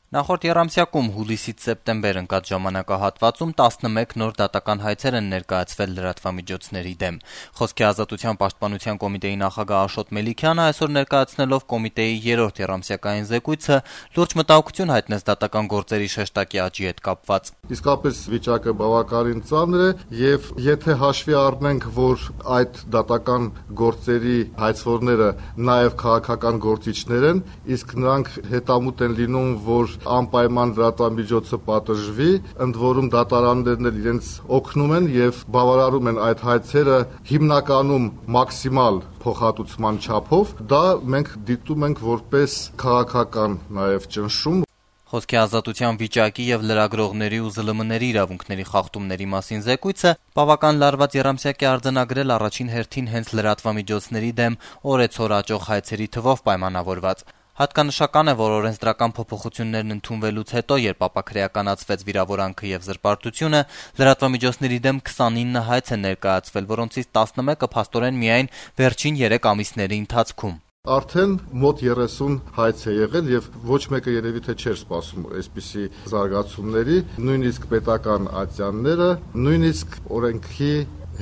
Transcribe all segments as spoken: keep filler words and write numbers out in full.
Նախորդ եռամսյակում հուլիսից սեպտեմբեր ընկած ժամանակահատվածում տասնմեկ նոր դատական հայցեր են ներկայացվել լրատվամիջոցների դեմ։ Խոսքի ազատության պաշտպանության կոմիտեի նախագահ Աշոտ Մելիքյանը այսօր ներկայացնելով կոմիտեի երրորդ եռամսյակային զեկույցը լուրջ մտահոգություն հայտնեց դատական գործերի շեշտակի աճի հետ կապված։ Իսկապես վիճակը բավականին ծանր է եւ եթե հաշվի առնենք, որ այդ դատական գործերի հայցվորները նաեւ քաղաքական գործիչներ են, իսկ նրանք հետամուտ են լինում, որ անպայման լրատվամիջոցը պատժվի, ընդ որում դատարաններն էլ իրենց օգնում են եւ բավարարում են այդ հայցերը հիմնականում մաքսիմալ փոխհատուցման չափով, դա մենք դիտում ենք որպես քաղաքական նաեւ ճնշում։ Խոսքի ազատության վիճակի եւ լրագրողների ու զլ մ-ների իրավունքների խախտումների մասին զեկույցը բավական լարված եռամսյակ է արձանագրել առաջին հերթին հենց լրատվամիջոցների դեմ օրեցօր աճող հայցերի թվով պայմանավորված։ Հատկանշական է, որ օրենսդրական փոփոխություններն ընդունվելուց հետո, երբ ապաքրեականացվեց վիրավորանքը եւ զրպարտությունը, լրատվամիջոցների դեմ քսանինը հայց է ներկայացվել, որոնցից տասնմեկը փաստորեն միայն վերջին երեք ամիսների ընթացքում։ Արդեն մոտ երեսուն հայց է եղել եւ ոչ մեկը երևի թե չէր սպասում այսպիսի զարգացումների, նույնիսկ պետական ատյանները, նույնիսկ օրենքի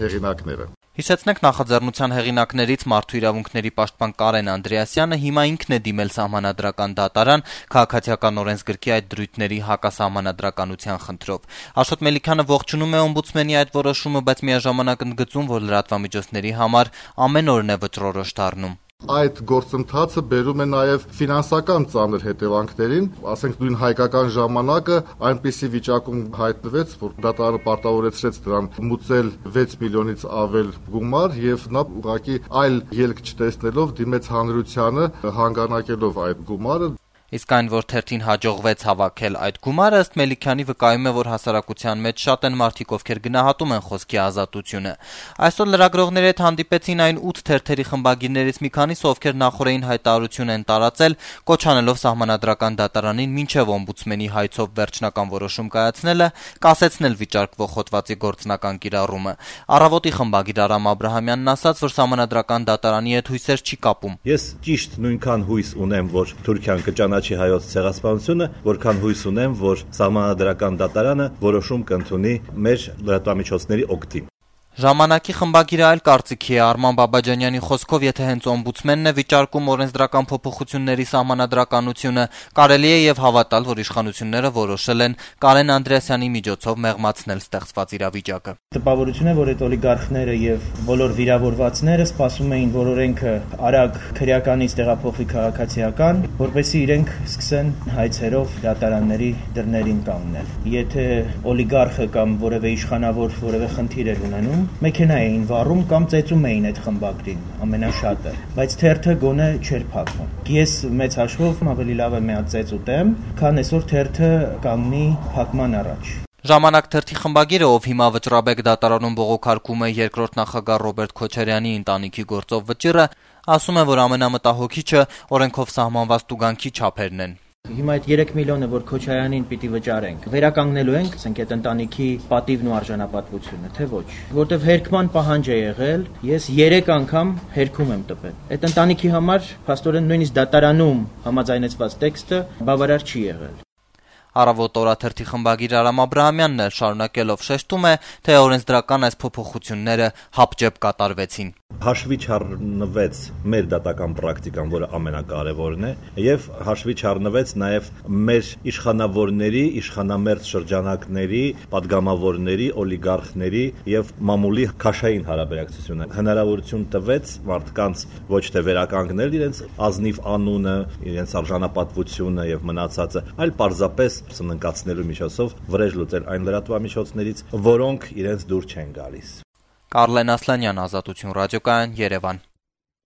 հեղինակները։ Հիշեցնենք նախաձեռնության հեղինակներից մարդու իրավունքների պաշտպան Կարեն Անդրեասյանը հիմա ինքն է դիմել սահմանադրական դատարան քաղաքացիական օրենսգրքի այդ դրույթների հակասահմանադրականության խնդրով։ Աշոտ Մելիքյանը ողջունում է օմբուդսմենի այդ որոշումը, բայց միաժամանակ ընդգծում, որ լրատվամիջոցների համար ամեն օրն է վճռորոշ դառնում։ Այդ գործընթացը բերում է նաև ֆինանսական ծանր հետևանքներին, ասենք նույն հայկական ժամանակը այնպիսի վիճակում հայտնվեց, որ դատարանը պարտավորեցրեց դրան մուծել վեց միլիոնից ավել գումար եւ նա ուղղակի այլ ելք չտեսնելով դիմեց հանրությանը հանգանակելով այդ գումարը։ Իսկ այն, որ թերթին հաջողվեց հավաքել այդ գումարը, ըստ Մելիքյանի վկայում է, որ հասարակության մեջ շատ են մարդիկ, ովքեր գնահատում են խոսքի ազատությունը։ Այսօր լրագրողների հետ հանդիպեցին այն ութ թերթերի խմբագիրներից մի քանիսը, ովքեր նախորդային հայտարարություն են տարածել, կոչ անելով սահմանադրական դատարանին մինչև օմբուդսմենի հայցով վերջնական որոշում կայացնելը, կասեցնել վիճարկվող հոդվածի գործնական կիրառումը։ Առավոտի խմբագիր Արամ Աբրահամյանն ասաց, որ սահմանադրական դատարանի հետ հույսեր չի կապում։ Ես ճիշտ նույնքան հույս ունեմ, որ Թուրքիան կճանաչի հայոց ցեղասպանությունը, որքան հույս ունեմ, որ սահմանադրական դատարանը որոշում կընդունի մեր լրատվամիջոցների օգտին։ Ժամանակի խմբագիրը այլ կարծիքի է։ Արման Բաբաջանյանի խոսքով, եթե հենց օմբուդսմենն է վիճարկում օրենսդրական փոփոխությունների սահմանադրականությունը, կարելի է եւ հավատալ, որ իշխանությունները որոշել են Կարեն Անդրեասյանի միջոցով մեղմացնել ստեղծված իրավիճակը։ Տպավորություն է, որ այդ օլիգարխները եւ բոլոր վիրավորվածները սպասում էին, որ օրենքը արագ քրեականից տեղափոխվի քաղաքացիական, որպեսզի իրենք սկսեն հայցերով դատարանների դռներին կանգնել։ Եթե օլիգարխը կամ որևէ իշխանավոր որևէ խնդիր էր ունենում, մեքենա էին վառում կամ ծեծում էին այդ խմբագրին ամենաշատը, բայց թերթը գոնե չէր փակվում։ Ես մեծ հաշվով ավելի լավ է մի հատ ծեծ ուտեմ, քան այսօր թերթը կանգնի փակման առաջ։ Ժամանակ թերթի խմբագիրը, ով հիմա Վճռաբեկ դատարանում բողոքարկում է երկրորդ նախագահ Ռոբերտ Քոչարյանի ընտանիքի գործով վճիռը, ասում է, որ ամենամտահոգիչը օրենքով սահմանված տուգանքի չափերն են։ Հիմա այդ երեք միլիոնը, որ Քոչարյանին պիտի վճարենք, վերականգնելու ենք, ասենք, այդ ընտանիքի պատիվն ու արժանապատվությունը, թե ոչ։ Որտեվ հերկման պահանջ է եղել, ես երեք անգամ հերքում եմ տպել։ Այդ ընտանիքի համար փաստորեն նույնիսկ դատարանում համաձայնեցված տեքստը բավարար չի եղել։ Առավոտ օրաթերթի խմբագիր Արամ Աբրահամյանն էլ շարունակելով շեշտում է, թե օրենսդրական այս փոփոխությունները հապճեպ կատարվեցին։ Հաշվի չառնվեց մեր դատական պրակտիկան, որը ամենակարևորն է, եւ հաշվի չառնվեց նաեւ մեր իշխանավորների, իշխանամերձ շրջանակների, падգամավորների, օլիգարխների եւ մամուլի քաշային հարաբերակցությունը հնարավորություն տվեց մարդկանց ոչ թե վերականգնել իրենց ազնիվ անունը, իրենց արժանապատվությունը եւ մնացածը, այլ պարզապես սննկացնելու միջոցով վրեժ լուծել այն լրատվամիջոցներից, որոնք իրենց դուր չեն գալիս։ Կարլեն Ասլանյան, Ազատություն ռադիոկայան, Երևան։